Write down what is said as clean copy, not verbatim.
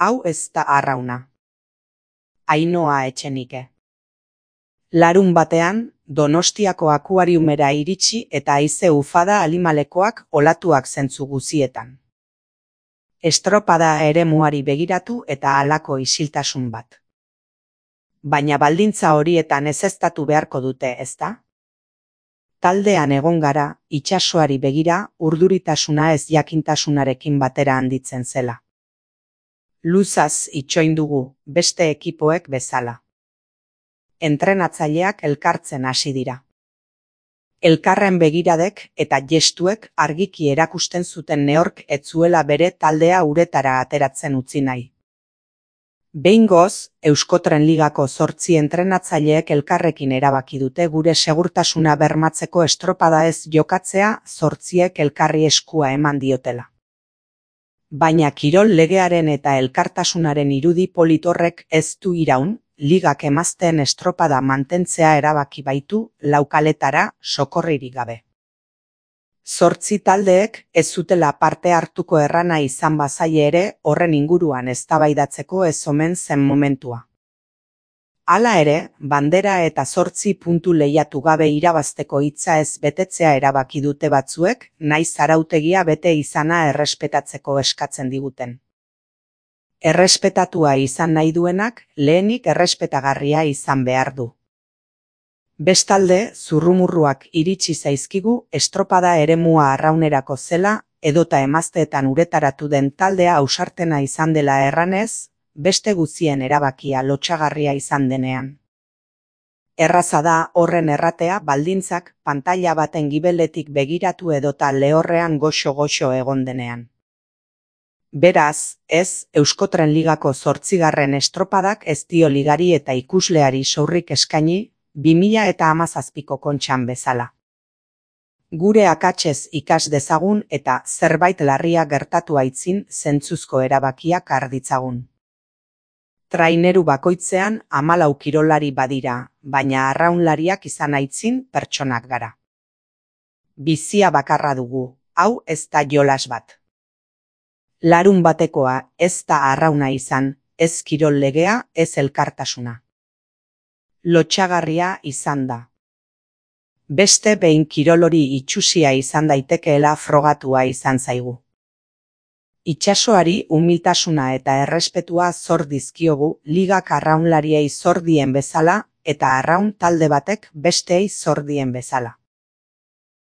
Hau ez da arrauna. Ainhoa Etxenike. Larun batean, Donostiako akuariumera iritsi eta haize ufada alimalekoak olatuak zentzu guzietan. Estropada eremuari begiratu eta halako isiltasun bat. Baina baldintza horietan ezeztatu beharko dute, ezta? Taldean egon gara, itsasoari begira, urduritasuna ez jakintasunarekin batera handitzen zela. Luzaz itxoin dugu, beste ekipoek bezala. Entrenatzaileak elkartzen hasi dira. Elkarren begiradek eta gestuek argiki erakusten zuten neork ez zuela bere taldea uretara ateratzen utzi nahi. Behingoz, Euskotren Ligako 8 entrenatzaileek elkarrekin erabaki dute gure segurtasuna bermatzeko estropada ez jokatzea 8ek elkarri eskua eman diotela. Baina kirol legearen eta elkartasunaren irudi polit horrek ez du iraun, ligak emazteen estropada mantentzea erabaki baitu laukaletara sokorririk gabe. 8 taldeek ez zutela parte hartuko errana izan bazaie ere horren inguruan eztabaidatzeko ez omen zen momentua. Hala ere, bandera eta 8 puntu lehiatu gabe irabazteko hitza ez betetzea erabaki dute batzuek, nahiz arautegia bete izana errespetatzeko eskatzen diguten. Errespetatua izan nahi duenak, lehenik errespetagarria izan behar du. Bestalde, zurrumurruak iritsi zaizkigu estropada eremua arraunerako zela, edota emazteetan uretaratu den taldea ausartena izan dela erranez, beste guztien erabakia lotsagarria izan denean. Erraza da horren erratea baldintzak pantaila baten gibeletik begiratu edota lehorrean goxo-goxo egon denean. Beraz, ez, Euskotren Ligako 8. estropadak ez dio ligari eta ikusleari sourrik eskaini, 2017ko Kontxan bezala. Gure akatsez ikas dezagun eta zerbait larria gertatu aitzin zentzuzko erabakiak har ditzagun. Traineru bakoitzean 14 kirolari badira, baina arraunlariak izan aitzin pertsonak gara. Bizia bakarra dugu, hau ez da jolas bat. Larun batekoa ez da arrauna izan, ez kirol legea, ez elkartasuna. Lotsagarria izan da. Beste behin kirolori itsusia izan daitekeela frogatua izan zaigu. Itsasoari umiltasuna eta errespetua zor dizkiogu ligak arraunlariei zor dien bezala eta arraun talde batek besteei zor dien bezala.